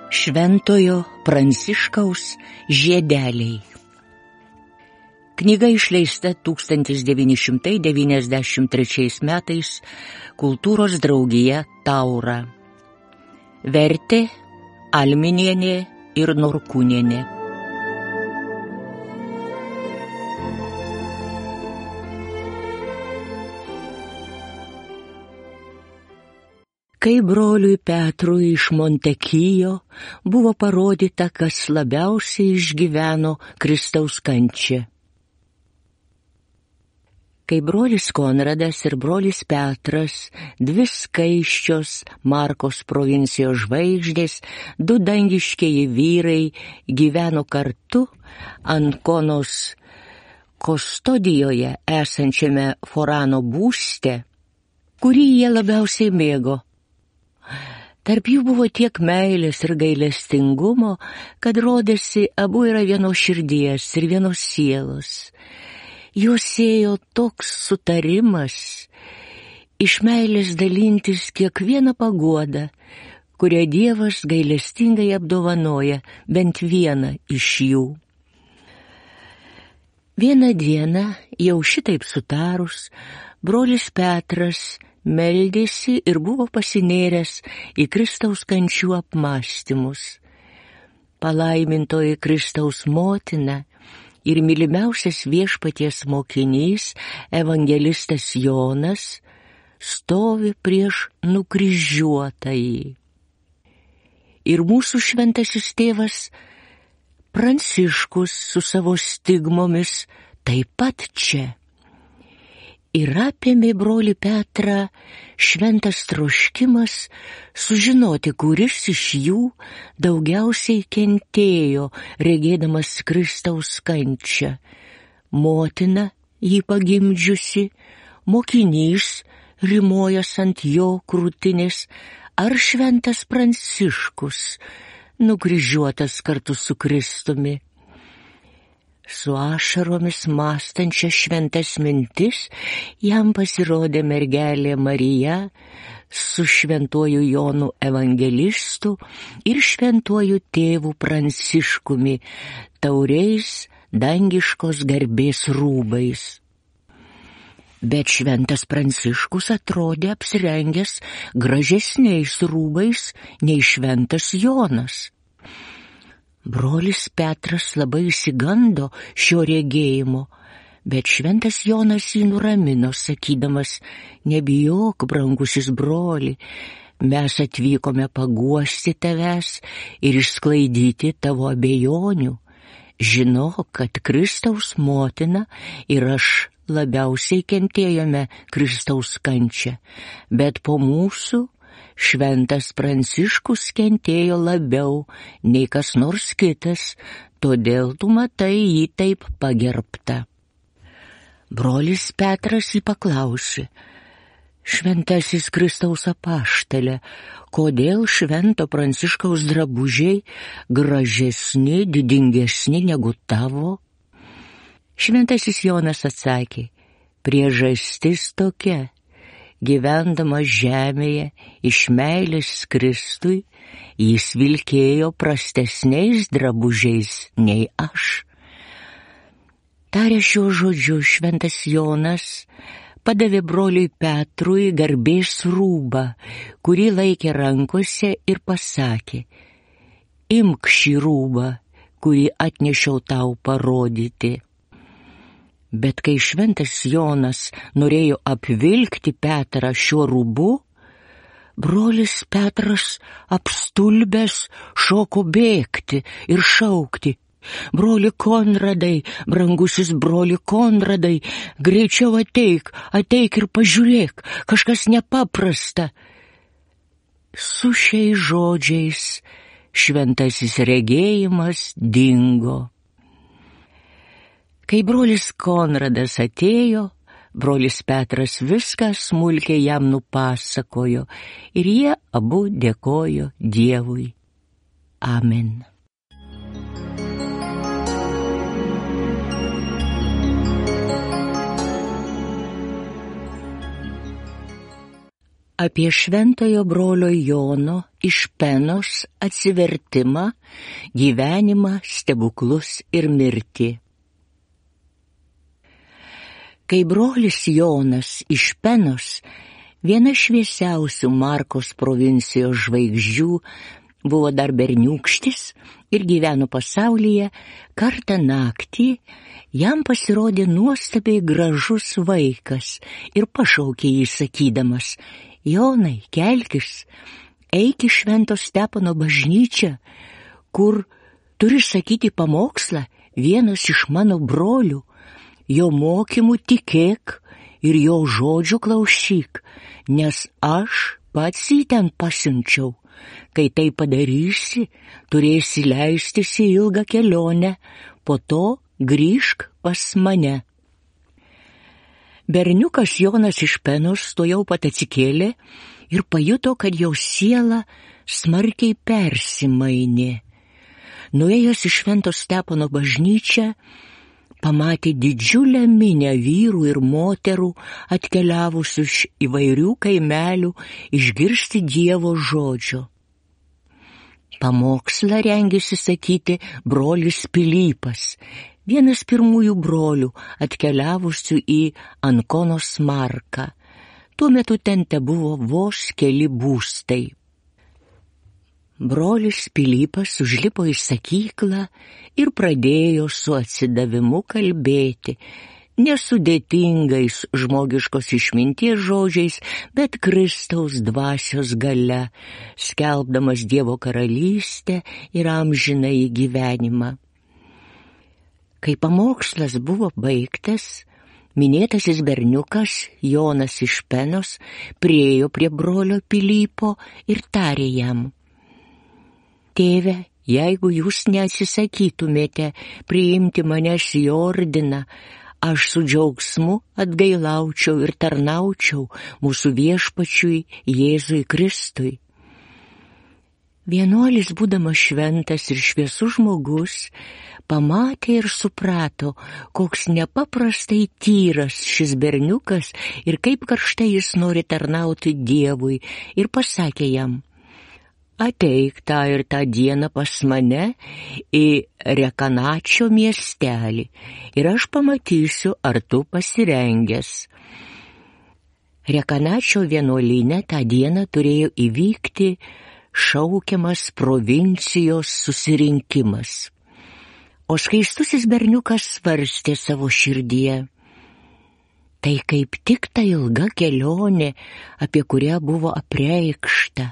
Šventojo Pranciškaus žiedeliai. Knyga išleista 1993 metais Kultūros draugija Taura. Vertė Alminienė ir Norkūnienė. Kai broliui Petrui iš Montekijo buvo parodyta, kas labiausiai išgyveno Kristaus kančią. Kai brolis Konradas ir brolis Petras, dvi skaisčios Markos provincijos žvaigždės, du dangiškieji vyrai, gyveno kartu Ankonos Kostodijoje esančiame Forano būste, kurį jie labiausiai mėgo. Tarp jų buvo tiek meilės ir gailestingumo, kad rodėsi, abu yra vienos širdies ir vienos sielos. Juos siejo toks sutarimas, iš meilės dalintis kiekvieną paguodą, kurią Dievas gailestingai apdovanoja bent vieną iš jų. Vieną dieną, jau šitaip sutarus, brolis Petras meldėsi ir buvo pasinėręs į Kristaus kančių apmąstymus. Palaimintoji Kristaus motina ir mylimiausias viešpaties mokinys, evangelistas Jonas, stovi prieš nukryžiuotąjį. Ir mūsų šventasis tėvas Pranciškus su savo stigmomis taip pat čia. Ir apėmė brolį Petrą šventas troškimas sužinoti, kuris iš jų daugiausiai kentėjo, regėdamas Kristaus kančią. Motina jį pagimdžiusi, mokinys rimojas ant jo krūtinės, ar šventas Pranciškus, nukryžiuotas kartu su Kristumi. Su ašaromis mąstančia šventas mintis jam pasirodė mergelė Marija su šventuoju Jonu evangelistu ir šventuoju tėvu Pranciškumi, tauriais dangiškos garbės rūbais. Bet šventas Pranciškus atrodė apsirengęs gražesniais rūbais nei šventas Jonas. Brolis Petras labai išsigando šio regėjimo, bet šventas Jonas jį nuramino, sakydamas, nebijok, brangusis broli, mes atvykome paguosti tavęs ir išsklaidyti tavo abejonių. Žinok, kad Kristaus motina ir aš labiausiai kentėjome Kristaus kančią, bet po mūsų šventas Pranciškus kentėjo labiau nei kas nors kitas, todėl tu matai jį taip pagerbtą. Brolis Petras jį paklausė, šventasis Kristaus apaštale, kodėl švento Pranciškaus drabužiai gražesni, didingesni negu tavo? Šventasis Jonas atsakė, priežastis tokia. Gyvendamas žemėje iš meilės Kristui, jis vilkėjo prastesniais drabužiais nei aš. Tarė šiuo žodžiu, šventas Jonas padavė broliui Petrui garbės rūbą, kurį laikė rankose ir pasakė, imk šį rūbą, kurį atnešiau tau parodyti. Bet kai šventas Jonas norėjo apvilkti Petrą šiuo rūbu, brolis Petras apstulbęs šoko bėgti ir šaukti, broli Konradai, brangusis broli Konradai, greičiau ateik ir pažiūrėk, kažkas nepaprasta. Su šiais žodžiais šventasis regėjimas dingo. Kai brolis Konradas atėjo, brolis Petras viską smulkiai jam nupasakojo ir jie abu dėkojo Dievui. Amen. Apie šventojo brolio Jono iš Penos atsivertimą, gyvenimą, stebuklus ir mirtį. Kai brolis Jonas iš Penos, viena šviesiausių Markos provincijos žvaigždžių, buvo dar berniūkštis ir gyveno pasaulyje, kartą naktį jam pasirodė nuostabiai gražus vaikas ir pašaukė jį sakydamas: Jonai, kelkis, eik į Švento Stepono bažnyčią, kur turi sakyti pamokslą vienas iš mano brolių, jo mokymų tikėk ir jo žodžių klausyk, nes aš pats jį ten pasiunčiau. Kai tai padarysi, turėsi leistis į ilgą kelionę, po to grįžk pas mane. Berniukas Jonas iš Penos tuojau pat atsikėlė ir pajuto, kad jo siela smarkiai persimainė. Nuėjęs į Švento Stepono bažnyčią, pamatė didžiulę minią vyrų ir moterų atkeliavusių iš įvairių kaimelių išgirsti Dievo žodžio. Pamokslą rengėsi sakyti brolis Pilypas, vienas pirmųjų brolių atkeliavusių į Ankonos Marką. Tuo metu ten tebuvo vos keli būstai. Brolis Pilypas užlipo į sakyklą ir pradėjo su atsidavimu kalbėti, nesudėtingais žmogiškos išminties žodžiais, bet Kristaus dvasios galia, skelbdamas Dievo karalystę ir amžinąjį gyvenimą. Kai pamokslas buvo baigtas, minėtasis berniukas Jonas iš Penos priėjo prie brolio Pilypo ir tarė jam: Tėve, jeigu jūs neatsisakytumėte priimti manęs į ordiną, aš su džiaugsmu atgailaučiau ir tarnaučiau mūsų viešpačiui Jėzui Kristui. Vienuolis, būdamas šventas ir šviesus žmogus, pamatė ir suprato, koks nepaprastai tyras šis berniukas ir kaip karštai jis nori tarnauti Dievui, ir pasakė jam: Ateik tą ir tą dieną pas mane į Rekanačio miestelį ir aš pamatysiu, ar tu pasirengęs. Rekanačio vienuolyne tą dieną turėjo įvykti šaukiamas provincijos susirinkimas. O skaistusis berniukas svarstė savo širdyje: tai kaip tik ta ilga kelionė, apie kurią buvo apreikšta,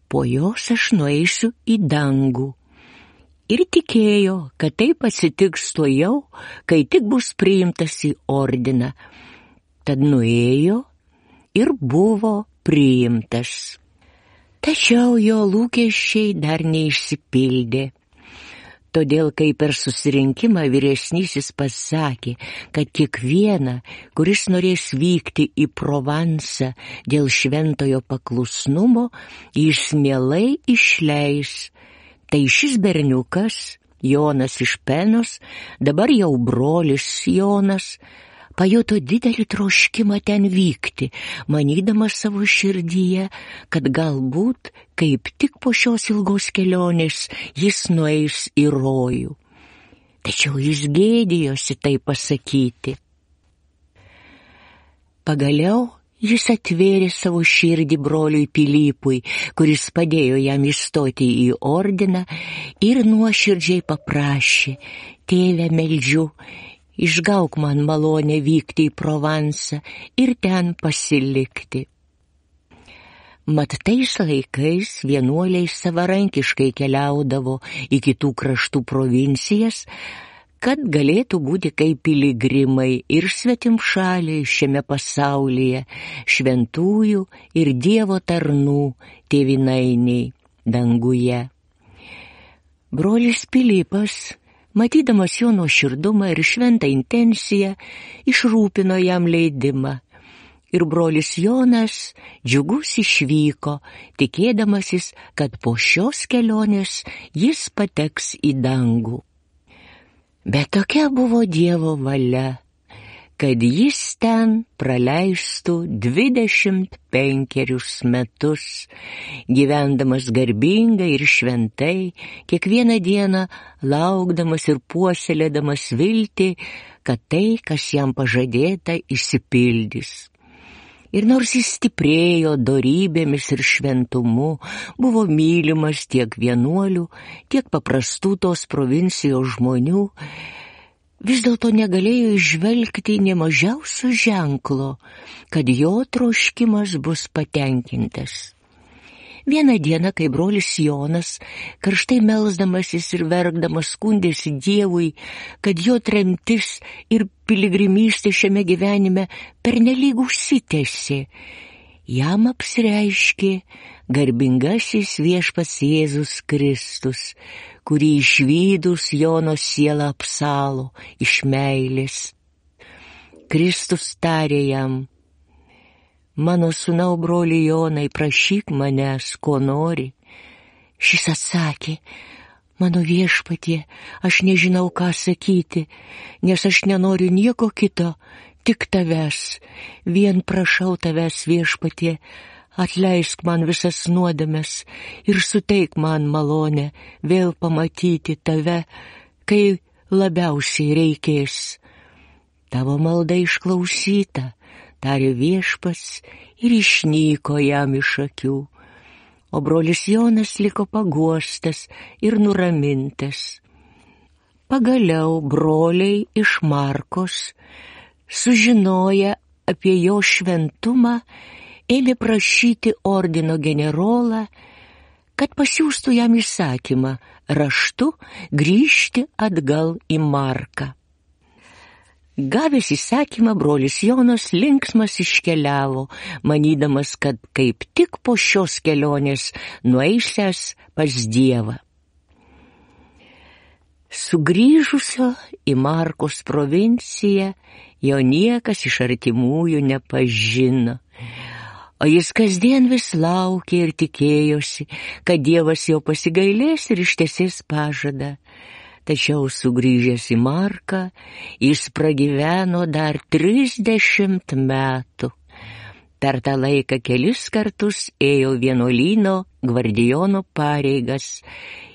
po jos aš nueisiu į dangų. Ir tikėjo, kad taip atsitiks tuojau, kai tik bus priimtas į ordiną. Tad nuėjo ir buvo priimtas. Tačiau jo lūkesčiai dar neišsipildė. Todėl, kai per susirinkimą vyresnysis pasakė, kad kiekvieną, kuris norės vykti į Provansą dėl šventojo paklusnumo, jis mielai išleis, tai šis berniukas, Jonas iš Penos, dabar jau brolis Jonas, pajuto didelį troškimą ten vykti, manydamas savo širdyje, kad galbūt kaip tik po šios ilgos kelionės jis nueis į rojų. Tačiau jis gėdijosi tai pasakyti. Pagaliau jis atvėrė savo širdį broliui Pilypui, kuris padėjo jam įstoti į ordiną, ir nuoširdžiai paprašė: Tėve, meldžiu, išgauk man malonę vykti į Provansą ir ten pasilikti. Mat tais laikais vienuoliai savarankiškai keliaudavo į kitų kraštų provincijas, kad galėtų būti kaip piligrimai ir svetimšaliai šiame pasaulyje, šventųjų ir Dievo tarnų tėvynainiai danguje. Brolis Pilypas, matydamas jo nuoširdumą ir šventą intenciją, išrūpino jam leidimą. Ir brolis Jonas džiugus išvyko, tikėdamasis, kad po šios kelionės jis pateks į dangų. Bet tokia buvo Dievo valia. kad jis ten praleistų 25 metus, gyvendamas garbingai ir šventai, kiekvieną dieną laukdamas ir puoselėdamas viltį, kad tai, kas jam pažadėta, išsipildys. Ir nors jis stiprėjo dorybėmis ir šventumu, buvo mylimas tiek vienuolių, tiek paprastų tos provincijos žmonių, vis dėlto negalėjo įžvelgti nė mažiausio ženklo, kad jo troškimas bus patenkintas. Vieną dieną, kai brolis Jonas, karštai melsdamasis ir verkdamas, skundėsi Dievui, kad jo tremtis ir piligrimystė šiame gyvenime pernelyg užsitęsė, jam apsireiškė garbingasis viešpats Jėzus Kristus, kurį išvydus Jono sielą apsalo iš meilės. Kristus tarė jam: mano sūnau, broli Jonai, prašyk manęs, ko nori. Šis atsakė: mano viešpatie, aš nežinau, ką sakyti, nes aš nenoriu nieko kito, tik tavęs. Vien prašau tavęs, viešpatie, atleisk man visas nuodėmes ir suteik man malonę vėl pamatyti tave, kai labiausiai reikės. Tavo malda išklausyta, tarė viešpats, ir išnyko jam iš akių. O brolis Jonas liko paguostas ir nuramintas. Pagaliau broliai iš Markos, sužinoję apie jo šventumą, ėmė prašyti ordino generolą, kad pasiųstų jam įsakymą raštu grįžti atgal į Marką. Gavęs įsakymą, brolis Jonas linksmas iškeliavo, manydamas, kad kaip tik po šios kelionės nueisęs pas Dievą. Sugrįžusio į Markos provinciją jo niekas iš artimųjų nepažino, o jis kasdien vis laukė ir tikėjosi, kad Dievas jo pasigailės ir ištesės pažadą. Tačiau sugrįžęs į Marką, jis pragyveno dar 30 metų. Per tą laiką kelis kartus ėjo vienuolyno gvardijono pareigas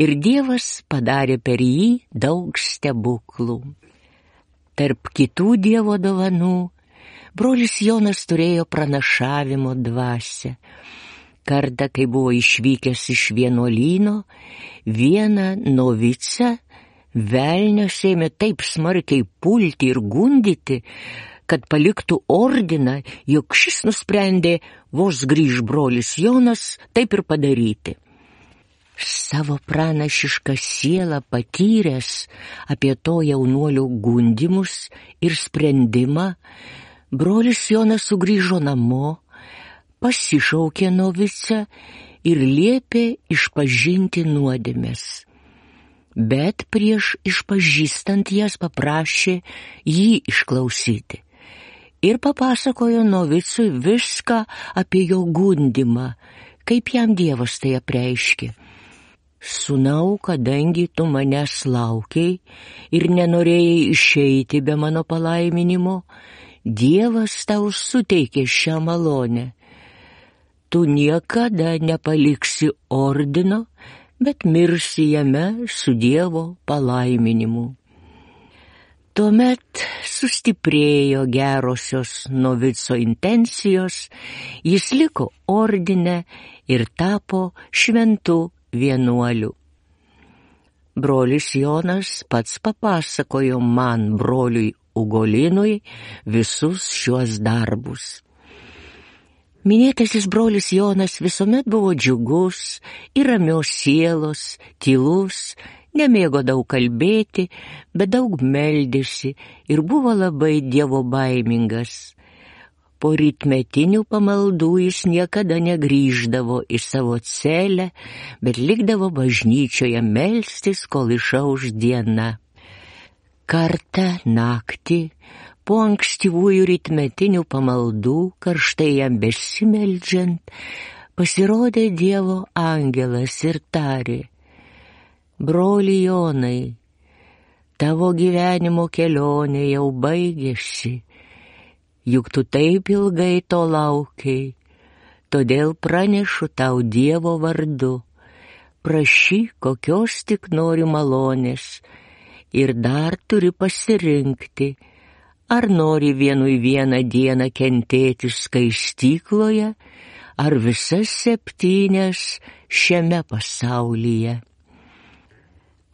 ir Dievas padarė per jį daug stebuklų. Tarp kitų Dievo dovanų, brolis Jonas turėjo pranašavimo dvasią. Kartą, kai buvo išvykęs iš vienuolyno, vieną novicą velnias ėmė taip smarkiai pulti ir gundyti, kad paliktų ordiną, jog šis nusprendė, vos grįž brolis Jonas, taip ir padaryti. Savo pranašišką sielą patyręs apie to jaunuolio gundimus ir sprendimą, brolis Jonas sugrįžo namo, pasišaukė novicą ir liepė išpažinti nuodėmes. Bet prieš išpažįstant jas paprašė jį išklausyti ir papasakojo novicui viską apie jo gundimą, kaip jam Dievas tai apreiškė. Sūnau, kadangi tu manęs laukiai ir nenorėjai išeiti be mano palaiminimo, Dievas tau suteikė šią malonę. Tu niekada nepaliksi ordino, bet mirsi jame su Dievo palaiminimu. Tuomet sustiprėjo gerosios novico intencijos, jis liko ordine ir tapo šventu vienuoliu. Brolis Jonas pats papasakojo man, broliui Ugolinui, visus šiuos darbus. Minėtasis brolis Jonas visuomet buvo džiugus ir ramios sielos, tylus, nemėgo daug kalbėti, bet daug meldėsi ir buvo labai dievobaimingas. Po rytmetinių pamaldų jis niekada negrįždavo į savo celę, bet likdavo bažnyčioje melstis, kol išauš diena. Kartą naktį, po ankstyvųjų rytmetinių pamaldų, karštai jam besimeldžiant, pasirodė Dievo angelas ir tarė: broli Jonai, tavo gyvenimo kelionė jau baigėsi juk tu taip ilgai to laukiai, todėl pranešu tau Dievo vardu. Prašyk, kokios tik nori malonės, ir dar turi pasirinkti, ar nori vienui vieną dieną kentėti skaistykloje, ar visas 7 šiame pasaulyje.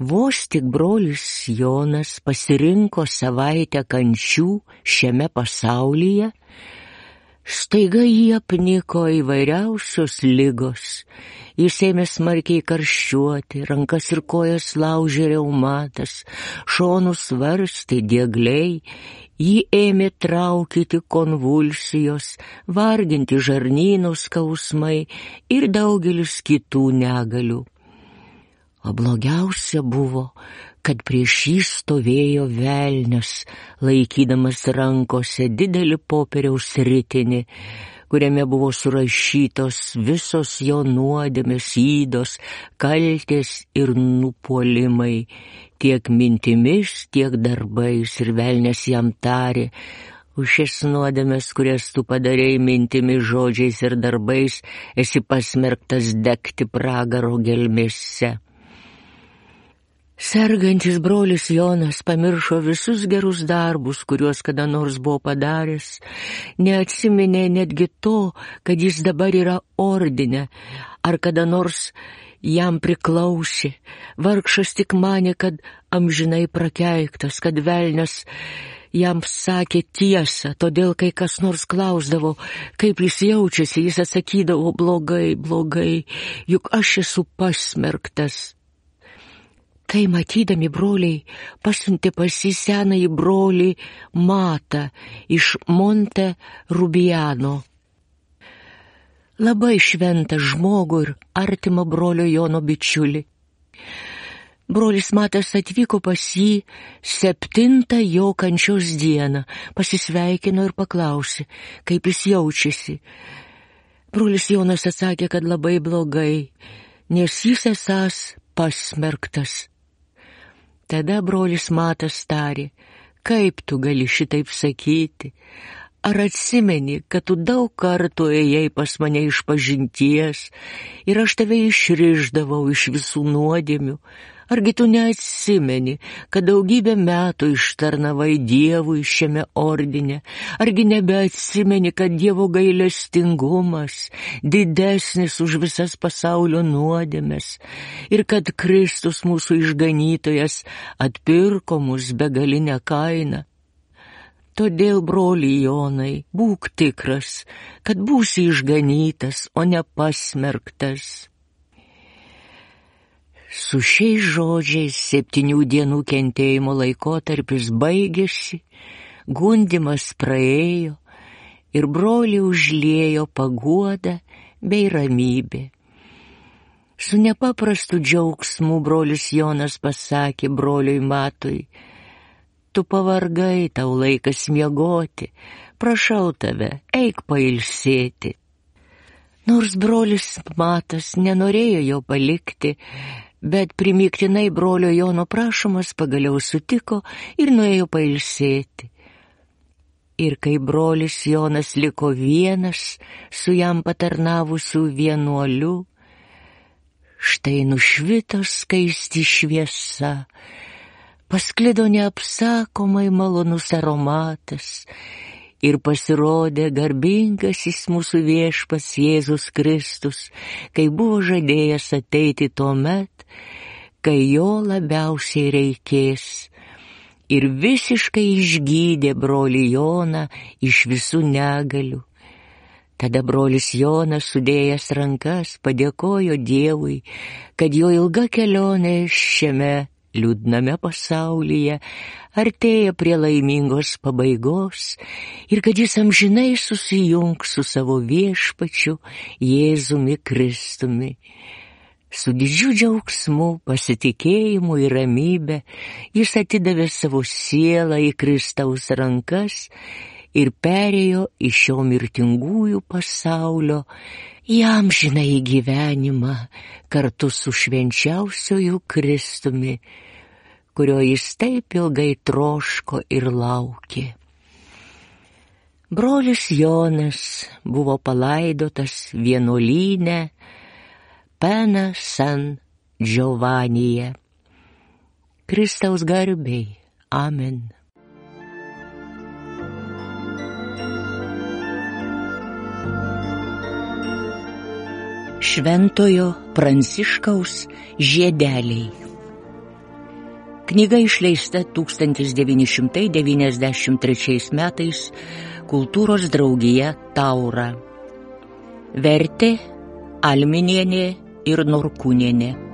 Vos tik brolis Jonas pasirinko savaitę kančių šiame pasaulyje, staiga jį apniko įvairiausios ligos. Jis ėmė smarkiai karščiuoti, rankas ir kojas laužė reumatas, šonus varstė diegliai, jį ėmė traukyti konvulsijos, varginti žarnyno skausmai ir daugelis kitų negalių. O blogiausia buvo, kad prieš jį stovėjo velnias, laikydamas rankose didelį popieriaus ritinį, kuriame buvo surašytos visos jo nuodėmės, ydos, kaltės ir nupuolimai, tiek mintimis, tiek darbais, ir velnias jam tarė: už šias nuodėmės, kurias tu padarei mintimis, žodžiais ir darbais, esi pasmerktas degti pragaro gelmėse. Sergantis brolis Jonas pamiršo visus gerus darbus, kuriuos kada nors buvo padaręs, neatsiminė netgi to, kad jis dabar yra ordine, ar kada nors jam priklausė. Vargšas tik manė, kad amžinai prakeiktas, kad velnias jam sakė tiesą, todėl kai kas nors klausdavo, kaip jis jaučiasi, jis atsakydavo: blogai, blogai, juk aš esu pasmerktas. Tai matydami broliai pasiuntė pas jį senąjį brolį Matą iš Monte Rubiano. Labai šventą žmogų ir artimą brolio Jono bičiulį. Brolis Matas atvyko pas jį 7 jo kančios dieną, pasisveikino ir paklausė, kaip jis jaučiasi. Brolis Jonas atsakė, kad labai blogai, nes jis esąs pasmerktas. Tada brolis Matas tarė: kaip tu gali šitaip sakyti? Ar atsimeni, kad tu daug kartų ėjai pas mane išpažinties ir aš tave išrišdavau iš visų nuodėmių? Argi tu neatsimeni, kad daugybę metų ištarnavai Dievui šiame ordine? Argi nebeatsimeni, kad Dievo gailestingumas didesnis už visas pasaulio nuodėmes ir kad Kristus mūsų išganytojas atpirko mus begalinę kainą? Todėl, broli Jonai, būk tikras, kad būsi išganytas, o ne pasmerktas. Su šiais žodžiais 7 dienų kentėjimo laikotarpis baigėsi, gundymas praėjo ir brolį užliejo paguoda bei ramybė. Su nepaprastu džiaugsmu brolis Jonas pasakė broliui Matui: tu pavargai, tau laikas miegoti, prašau tave, eik pailsėti. Nors brolis Matas nenorėjo jo palikti, bet primygtinai brolio Jono prašomas pagaliau sutiko ir nuėjo pailsėti. Ir kai brolis Jonas liko vienas su jam patarnavusiu vienuoliu, štai nušvito skaisti šviesa, pasklido neapsakomai malonus aromatas ir pasirodė garbingasis mūsų viešpats Jėzus Kristus, kai buvo žadėjęs ateiti tuomet, kai jo labiausiai reikės, ir visiškai išgydė brolį Joną iš visų negalių. Tada brolis Jonas, sudėjęs rankas, padėkojo Dievui, kad jo ilga kelionė šiame liūdname pasaulyje artėja prie laimingos pabaigos ir kad jis amžinai susijungs su savo viešpačiu Jėzumi Kristumi. Su didžiu džiaugsmu, pasitikėjimu ir ramybe jis atidavė savo sielą į Kristaus rankas ir perėjo iš šio mirtingųjų pasaulio į amžinąjį gyvenimą kartu su švenčiausiuoju Kristumi, kurio jis taip ilgai troško ir laukė. Brolis Jonas buvo palaidotas vienuolyne Pena San Giovanyje. Kristaus garbei. Amen. Šventojo Pranciškaus žiedeliai. Knyga išleista 1993 metais Kultūros draugija Taura. Vertė Alminienė ir Norkūnienė.